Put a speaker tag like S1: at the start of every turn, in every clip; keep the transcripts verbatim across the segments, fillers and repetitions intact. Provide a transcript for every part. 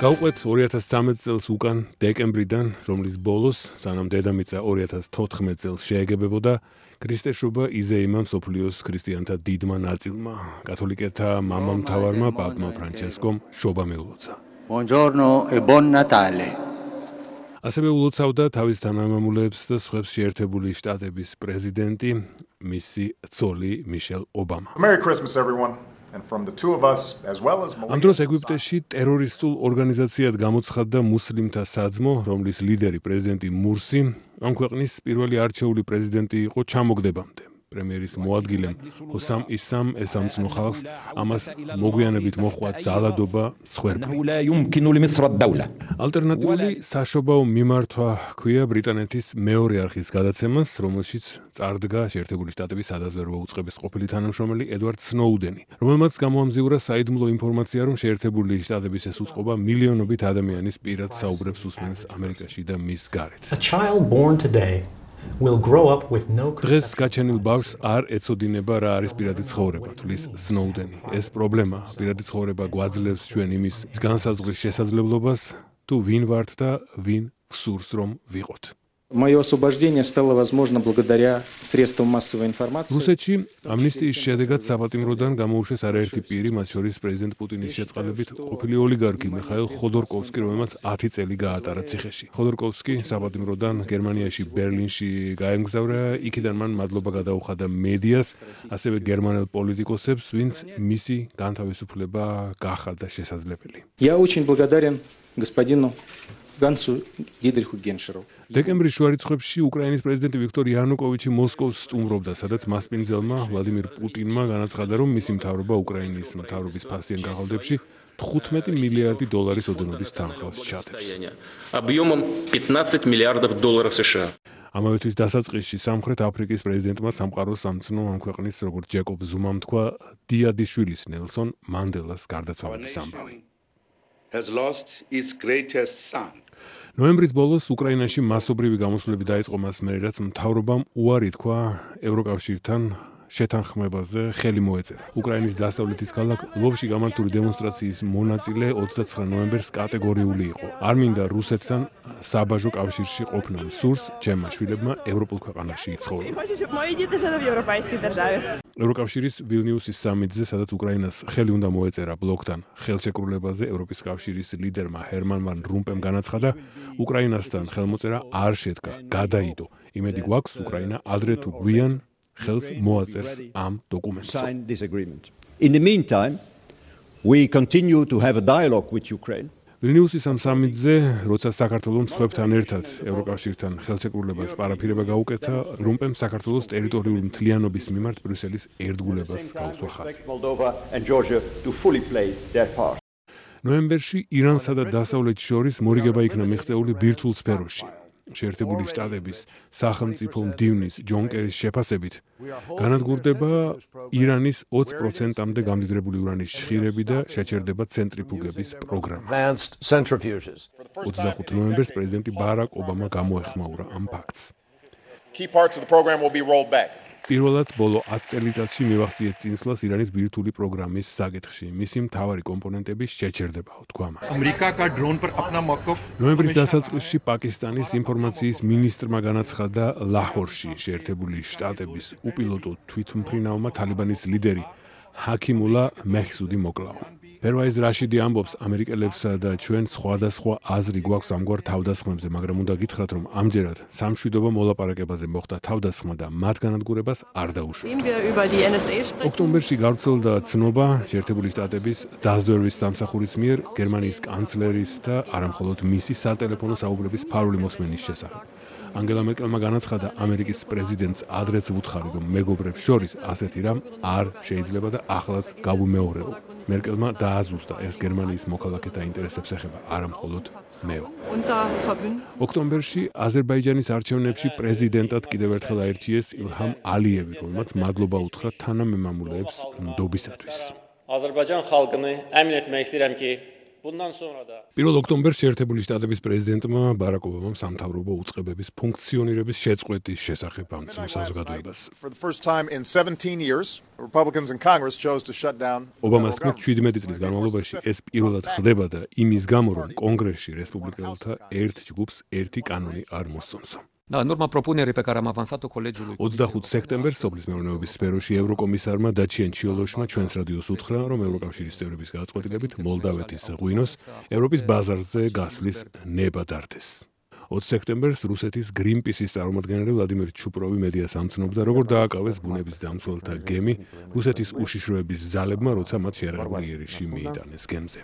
S1: გავყვეთ ორი ათას ცხრამეტ წელს უკან დეკემბრიდან, რომლის ბოლოს, სანამ დედამიწა ორი ათას თოთხმეტ წელს შეეგებებოდა, ქრისტეშობა იზეიმა მსოფლიოს ქრისტიანთა დიდმა ნაწილმა, კათოლიკეთა მამამთავარმა პაპმა ფრანჩესკომ შობა მიულოცა.
S2: Buongiorno e buon Natale.
S1: ასევე ულოცავდა თავის თანამემამულეებს და სხვებს შეერთებული შტატების პრეზიდენტი, მისი ცოლი მიშელ ობამა.
S3: Merry Christmas everyone. And from the two of us, as well as
S1: ამ დროს ეგვიპტეში ტერორისტულ ორგანიზაციად გამოცხადდა მუსლიმთა საძმო, რომლის ლიდერი პრეზიდენტი მურსი, ამ ქვეყნის პირველი არჩეული პრეზიდენტი იყო ჩამოგდებამდე. პრემიერის მოადგილემ ჰოსამ ისამ ესამცნო ხალხს ამას მოგვიანებით მოჰყვა ძალადობა სხვერპლი. ალტერნატიული საშობაო მიმართვა ჰქვია ბრიტანეთის მეორე არხის გადაცემას, რომელშიც წარდგა შეერთებული შტატების სადაზვერვო უწყების ყოფილი თანამშრომელი ედვარდ სნოუდენი, რომელმაც გამოამზიურა საიდუმლო ინფორმაცია, რომ შეერთებული შტატების ეს უწყობა მილიონობით ადამიანის პირად საუბრებს უსმენს ამერიკაში და მის გარეთ.
S4: A child born today will grow up with no
S1: დღეს გაჩენილ ბავშვს არ ეცოდინება რა არის პირადი ცხოვრება, თვლის სნოუდენი. ეს პრობლემა, პირადი ცხოვრება გვაძლევს ჩვენ იმის განსაზღვრის შესაძლებლობას, თუ ვინ ვართ და ვინ გსურს რომ ვიყოთ.
S5: Мое освобождение стало возможно благодаря средствам массовой информации.
S1: რუსეთში ამნისტიის შედეგად საპატიმროდან გამოუშვეს არაერთი პირი, მათ შორის პრეზიდენტ პუტინის შეწყალებით ყოფილი ოლიგარქი მიხაილ ხოდორკოვსკი, რომელმაც ათი წელი გაატარა ციხეში. ხოდორკოვსკი საპატიმროდან გერმანიაში ბერლინში გაემგზავრა, იქიდან მან მადლობა გადაუხადა მედიას, ასევე გერმანელ პოლიტიკოსებს, ვინც მისი განთავისუფლება გახადა შესაძლებელი.
S5: Я очень благодарен господину Гансу Дидриху Геншеру.
S1: დეკემბრის შუა რიცხვებში უკრაინის პრეზიდენტი ვიქტორ იანუკოვიჩი მოსკოვს სტუმრობდა, სადაც მასპინძელმა ვლადიმირ პუტინმა განაცხადა, რომ მისი მთავრობა უკრაინის მთავრობის ფასიან გაღალდებში თხუთმეტი მილიარდი დოლარის ოდენობის თანხმას ჩადებს.
S6: Объемом пятнадцать миллиардов долларов США.
S1: ამავე თვის დასაწყისში სამხრეთ აფრიკის პრეზიდენტმა სამყაროს სამცნო ამ ქვეყნის, როგორც ჯეკობ ზუმამ თქვა, დიადიშვილის ნელსონ მანდელას გარდაცვალების ამბავი.
S7: has lost its greatest son.
S1: ნოემბრის ბოლოს უკრაინაში მასობრივი გამოსვლები დაიწყო მას მერე, რაც მთავრობამ უარი თქვა ევროკავშირთან შეთანხმებაზე ხელი მოეწერა. უკრაინის დასავლეთის ქალაქ ლვოვში გამართული დემონსტრაციის მონაწილე ოცდაცხრა ნოემბერს კატეგორიული იყო. არ მინდა რუსეთთან საბაჟო კავშირში ყოფნა, სურს ჩემმა შვილებმა ევროპულ ქვეყანაში იცხოვრონ. ევროკავშირის ვილნიუსის სამიტზე, სადაც უკრაინას ხელი უნდა მოეწერა ბლოკთან ხელშეკრულებაზე, ევროპის კავშირის ლიდერმა ჰერმან ვან რომპემ განაცხადა, უკრაინასთან ხელმოწერა არ შედგა, გადაიდო. იმედი გვაქვს, უკრაინა ადრე თუ გვიან ხელს მოაწერს ამ დოკუმენტს.
S8: In the meantime, we continue to have a dialogue with Ukraine.
S1: ვილნიუსის ამ სამიტზე, როცა საქართველოს მსხვერპლთან ერთად ევროკავშირთან ხელშეკრულებას პარაფირება გაუკეთა, რომპემ საქართველოს ტერიტორიული მთლიანობის მიმართ ბრიუსელის ერთგულებას გაუსვა ხაზი. ნოემბერში ირანსა და დასავლეთს შორის მორიგება იქნა მიღწეული ბირთვულ სფეროში. შეერთებული შტატების სახელმწიფო მდივნის ჯონ კერის შეფასებით განადგურდება ირანის ოცი პროცენტამდე გამდიდრებული ურანის შხირები და შეჩერდება ცენტრიფუგების პროგრამა. ოცდახუთი ნოემბერს პრეზიდენტი ბარაკ ობამა გამოეხმაურა ამ ფაქტს.
S3: Key parts of the program will be rolled back.
S1: პირველად ბოლო ათი წელიწადში მივახციეთ წინსვლას ირანის ბირთვული პროგრამის საკითხში. მისი მთავარი კომპონენტების შეჩერდებაო, თქვა მან. ნოემბრის დასაწყისში პაკისტანის ინფორმაციის მინისტრმა განაცხადა ლაჰორში შეერთებული შტატების უპილოტო თვითმფრინავმა თალიბანის ლიდერი ჰაკიმულა მეჰსუდი მოკლაო. პერვაიზ რაშიდი ამბობს, ამერიკელებსა და ჩვენ სხვადასხვა აზრი გვაქვს ამგვარ თავდასხმებზე, მაგრამ უნდა გითხრათ, რომ ამჯერად სამშვიდობო მოლაპარაკებაზე მოხდა თავდასხმა და მათ განადგურებას არ დაუშვათ. ოქტომბერში გავრცელდა ცნობა შეერთებული შტატების დაზვერვის სამსახურის მიერ გერმანიის კანცლერის და არამხოლოდ მისი სატელეფონო საუბრების ფარული მოსმენის შესახებ. ანგელა მერკელმა განაცხადა, ამერიკის პრეზიდენტს ადრეც ვუთხარი, რომ მეგობრებს შორის ასეთი რამ არ შეიძლება და ახლაც გავუმეორებო. მერკელმა დააზუსტა, ეს გერმანიის მოქალაქეთა ინტერესებს ეხება, არა მხოლოდ მეო. ოქტომბერში აზერბაიჯანის არჩევნებში პრეზიდენტად კიდევ ერთხელ აირჩიეს ილჰამ ალიევი, რომელმაც მადლობა უთხრა თანამემამულეებს ნდობისათვის.
S9: Azərbaycan xalqını əmin etmək istəyirəm ki,
S1: პირველ ოქტომბერს შეერთებული შტატების პრეზიდენტმა ბარაკ ობამამ სამთავრობო უწყებების ფუნქციონირების შეწყვეტის შესახებ ამცნო საზოგადოებას. ობამას თქმით, შვიდმეტი წლის განმავლობაში ეს პირველად ხდება და იმის გამო, რომ კონგრესში რესპუბლიკელთა ერთ ჯგუფს ერთი კანონი არ მოსწონსო. ოცდახუთი სექტემბერს სოფლის მეურნეობის სფეროში ევროკომისარმა დაჩიენ ჩიოლოშმა ჩვენს რადიოს უთხრა, რომ ევროკავშირის წევრების გადაწყვეტილებით მოლდავეთის ღვინოს ევროპის ბაზარზე გასვლის ნება დართეს. ოცი სექტემბერს რუსეთის გრინპისის წარმომადგენელი ვლადიმერ ჩუპროვი მედიას ამცნობდა, როგორ დააკავეს ბუნების დამცველთა გემი რუსეთის უშიშროების ძალებმა, როცა მათ შეერაღებული იერიში მიიტანეს გემზე.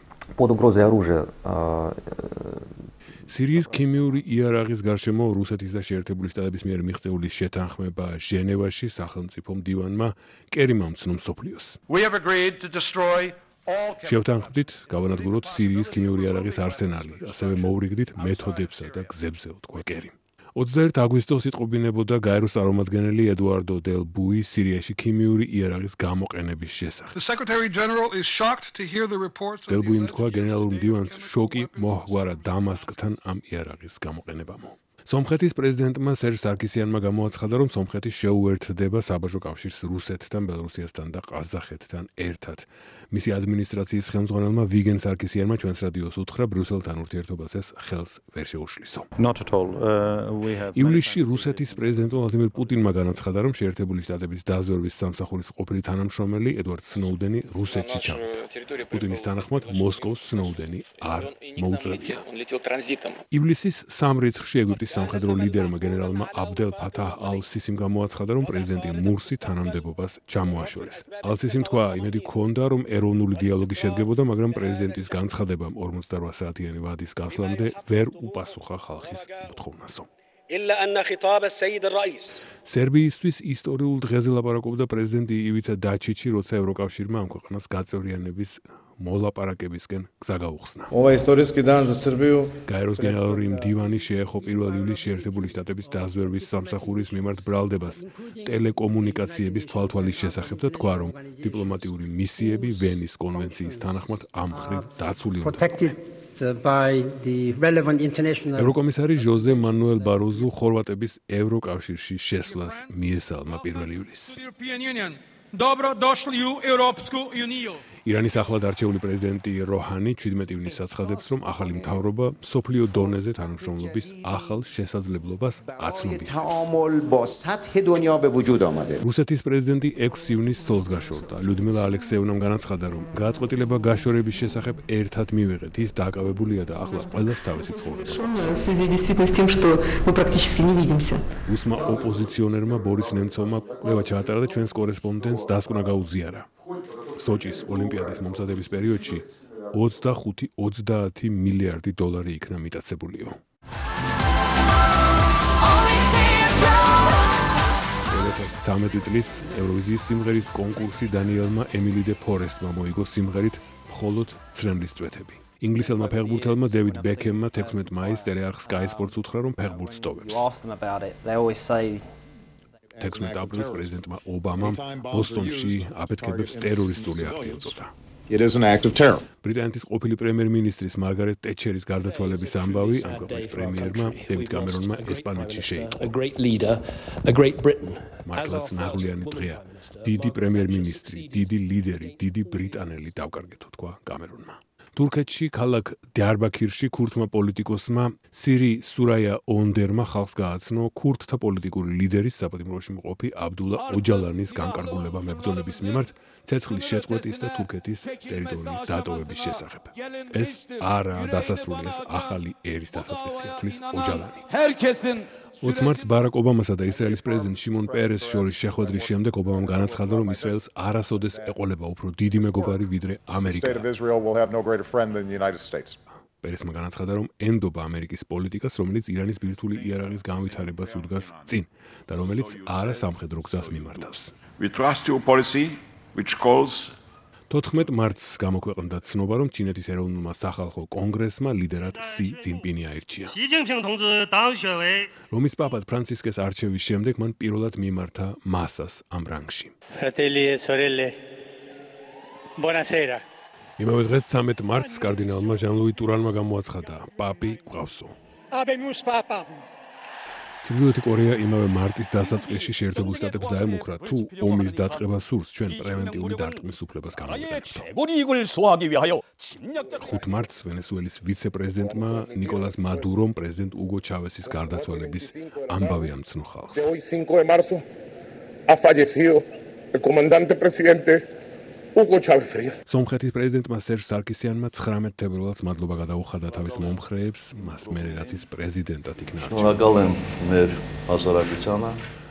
S1: სირიის ქიმიური იარაღის გარშემო რუსეთის და შეერთებული შტატების მიერ მიღწეული შეთანხმება ჟენევაში სახელმწიფო მდივანმა კერიმ ამცნო მსოფლიოს. შევთანხმდით გავანადგუროთ სირიის ქიმიური იარაღის არსენალი, ასევე მოვრიგდით მეთოდებსა და გზებზე, თქვა კერიმ. ოცდაერთი აგვისტოს იტყობინებოდა გაეროს წარმომადგენელი ედუარდო დელ ბუი სირიაში ქიმიური იარაღის გამოყენების შესახებ. დელ ბუიმ თქვა, გენერალურ მდივანს შოკი მოჰგვარა დამასკთან ამ იარაღის გამოყენებამო. სომხეთის პრეზიდენტმა სერჟ სარკისიანმა გამოაცხადა, რომ სომხეთი შეუერთდება საბაჟო კავშირს რუსეთთან, ბელორუსიასთან და ყაზახეთთან ერთად. მისი ადმინისტრაციის ხელმძღვანელმა ვიგენ სარკისიანმა ჩვენს რადიოს უთხრა, ბრიუსელთან ურთიერთობას ეს ხელს ვერ შეუშლისო. ივლისში რუსეთის პრეზიდენტ ვლადიმირ პუტინმა განაცხადა, რომ შეერთებული შტატების დაზვერვის სამსახურის ყოფილი თანამშრომელი ედვარდ სნოუდენი რუსეთში ჩავიდა. პუტინის თანახმად მოსკოვს სნოუდენი არ მოუწევია. ივლისის სამ რიცხვში ეგვიპტის სამხედრო ლიდერმა გენერალმა აბდელ ფათაჰ ალ-სისიმ გამოაცხადა, რომ პრეზიდენტი მურსი თანამდებობას ჩამოაშორეს. ალ-სისიმ თქვა, იმედი ჰქონდა, რომ ეროვნული დიალოგი შედგებოდა, მაგრამ პრეზიდენტის განცხადებამ ორმოცდარბა საათიანი ვადის გასვლამდე ვერ უპასუხა ხალხის მოთხოვნასო. სერბიისთვის ისტორიულ დღეზე ლაპარაკობდა პრეზიდენტი ივიცა დაჩიჩი, როცა ევროკავშირმა ამ ქვეყანას გაწევრიანების მოლაპარაკებისკენ გზა გაუხსნა. გაეროს გენერალური მდივანი შეეხო პირველ ივლისს შეერთებული შტატების დაზვერვის სამსახურის მიმართ ბრალდებას ტელეკომუნიკაციების თვალთვალის შესახებ და თქვა, რომ დიპლომატიური მისიები ვენის კონვენციის თანახმად ამ მხრივ დაცული უნდა. ევროკომისარი ჟოზე მანუელ ბაროზუ ხორვატების ევროკავშირში შესვლას მიესალმა პირველ ივლისს. ირანის ახლად არჩეული პრეზიდენტი როჰანი შვიდმეტი ივნისს აცხადებს, რომ ახალი მთავრობა მსოფლიო დონეზე თანამშრომლობის ახალ შესაძლებლობას აცნობიერებს. რუსეთის პრეზიდენტი ექვსი ივნისს ცოლს გაშორდა. ლიუდმილა ალექსეევნამ განაცხადა, რომ გადაწყვეტილება გაშორების შესახებ ერთად მივიღეთ. ის დაკავებულია და ახლოს ყველას თავისი ცხოვრება. რუსმა ოპოზიციონერმა ბორის ნემცოვმა კვლევა ჩაატარა და ჩვენს კორესპონდენტს დასკვნა გაუზიარა. სოჭის ოლიმპიადის მომზადების პერიოდში ოცდახუთი ოცდაათი მილიარდი დოლარი იქნა მიტაცებულიო. deux mille trинадцать წლის ევროვიზიის სიმღერის კონკურსი დანიელმა ემილი დე ფორესტმა მოიგო სიმღერით მხოლოდ ცრემლის წვეთები. ინგლისელმა ფეხბურთელმა დევიდ ბეკემმა თექვსმეტი მაისს ტელეარხ Sky Sports უთხრა, რომ ფეხბურთს ტოვებს. თექვსმეტი აპრილის პრეზიდენტმა ობამამ ბოსტონში აფეთქებებს ტერორისტული აქტი ეწოდა.
S3: It is an act of terror.
S1: ბრიტანეთის ყოფილი პრემიერ-მინისტრის მარგარეტ ტეტჩერის გარდაცვალების ამბავი ამ ქვეყნის პრემიერმა დევიდ კამერონმა ესპანეთში შეიტყო. მართლაც ნაღვლიანი დღეა. დიდი პრემიერ-მინისტრი, დიდი ლიდერი, დიდი ბრიტანელი დავკარგეთო, თქვა კამერონმა. თურქეთში ქალაქ დიარბაქირში ქურთმა პოლიტიკოსმა სირი სურაია ოնդერმა ხალხს გააცნო ქურთთა პოლიტიკური ლიდერის საპატიმროში მყოფი აბდულა ოჯალანის განკარგულება მებრძოლების მიმართ ცეცხლის შეწყვეტის და თურქეთის ტერიტორიის დატოვების შესახებ. ეს არაა დასასრული, ეს ახალი ერის დასაწყისია, თვლის ოჯალანი. ოცი მარტს ბარაკ ობამასა და ისრაელის პრეზიდენტ შიმონ პერესს შორის შეხვედრის შემდეგ ობამამ განაცხადა, რომ ისრაელს არასოდეს ეყოლება უფრო დიდი მეგობარი ვიდრე ამერიკა. პერესმა განაცხადა, რომ ენდობა ამერიკის პოლიტიკას, რომელიც ირანის ბირთვული იარაღის განვითარებას უდგას წინ და რომელიც არა სამხედრო გზას მიმართავს. თოთხმეტი მარტს გამოქვეყნდა ცნობა, რომ ჩინეთის ეროვნულმა სახალხო კონგრესმა ლიდერად სი ძინპინი აირჩია. რომის პაპად ფრანცისკეს არჩევის შემდეგ მან პირველად მიმართა მასას ამ რანგში. იმავე დღეს ცამეტ მარტს კარდინალმა ჟან-ლუი ტურანმა გამოაცხადა პაპი გვყავსო. ჩრდილოეთი კორეა იმავე მარტის დასაწყისში შეერთებულ შტატებს დაემუქრა თუ ომის დაწყება სურს ჩვენ პრევენტიული დარტყმის უფლებას გამოვიყენებთ. ხუთ მარტს ვენესუელის ვიცე-პრეზიდენტმა ნიკოლას მადურომ პრეზიდენტ უგო ჩავესის გარდაცვალების ამბავი ამცნო ხალხს. სომხეთის პრეზიდენტმა სერჟ სარკისიანმა ცხრამეტ თებერვალს მადლობა გადაუხადა თავის მომხრეებს, მას მერე რაც ის პრეზიდენტად იქნა არჩეული.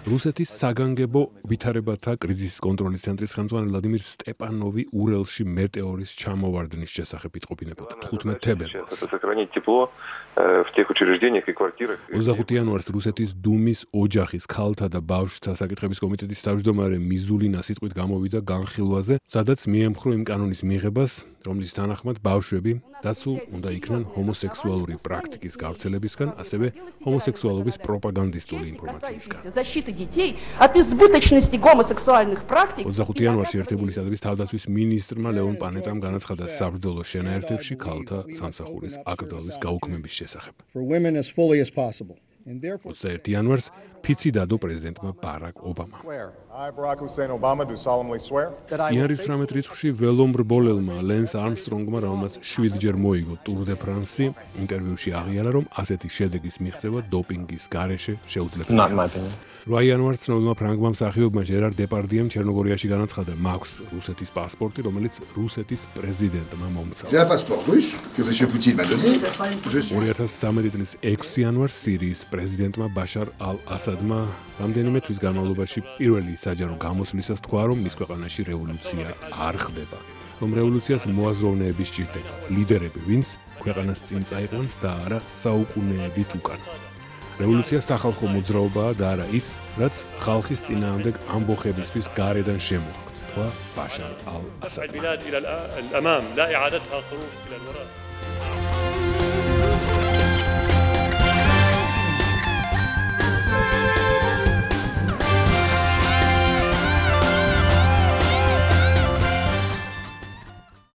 S1: რუსეთის საგანგებო ვითარებათა კრიზისის კონტროლის ცენტრის ხელმძღვანელი ვლადიმირ სტეპანოვი ურელში მეტეორის ჩამოვარდნის შესახებ იტყობინებოდა თხუთმეტ თებერვალს. ოცდახუთი იანვარს რუსეთის დუმის ოჯახის ქალთა და ბავშვთა საკითხების კომიტეტის თავმჯდომარე მიზულინა სიტყვით გამოვიდა განხილვაზე, სადაც მიემხრო იმ კანონის მიღებას, რომლის თანახმად ბავშვები დაცულ უნდა იქნან ჰომოსექსუალური პრაქტიკის გავრცელებისგან, ასევე ჰომოსექსუალობის პროპაგანდისტული ინფორმაციისგან. ოცდახუთი იანვარში ერთებული შტატების თავდაცვის მინისტრმა ლეონ პანეტამ განაცხადა საბრძოლო შენაერთებში ქალთა სამსახურის აკრძალვის გაუქმების შესახებ. ოცდაერთი იანვარს ფიცი დადო პრეზიდენტმა ბარაკ ობამამ.
S3: I, Barack Hussein Obama, do solemnly swear
S1: იანვრის თვრამეტ რიცხვში ველომბრბოლელმა ლენს არმსტრონგმა, რომელმაც შვიდჯერ მოიგო ტურ დე ფრანსი, ინტერვიუში აღიარა, რომ ასეთი შედეგის მიღწევა დოპინგის გარეშე შეუძლებელია. რვა იანვარს ცნობილმა ფრანგმა მსახიობმა ჟერარ დეპარდიემ ჩერნოგორიაში განაცხადა, მაქვს რუსეთის პასპორტი, რომელიც რუსეთის პრეზიდენტმა მომცალა. ორი ათას ცხრამეტი წლის ექვსი იანვარს სირიის პრეზიდენტმა ბაშარ ალ-ასადმა რამდენიმე თვის განმავლობაში პირველი საჯარო გამოსვლისას თქვა, რომ მის ქვეყანაში რევოლუცია არ ხდება, რომ რევოლუციას მოაზროვნეები სჭირდება, ლიდერები, ვინც ქვეყანას წინ წაიყვანს და არა საუკუნეებით უკან. რევოლუცია სახალხო მოძრაობაა და არა ის, რაც ხალხის წინააღმდეგ ამბოხებისთვის გარედან შემოაქვთ, თქვა ბაშარ ალ-ასადმა.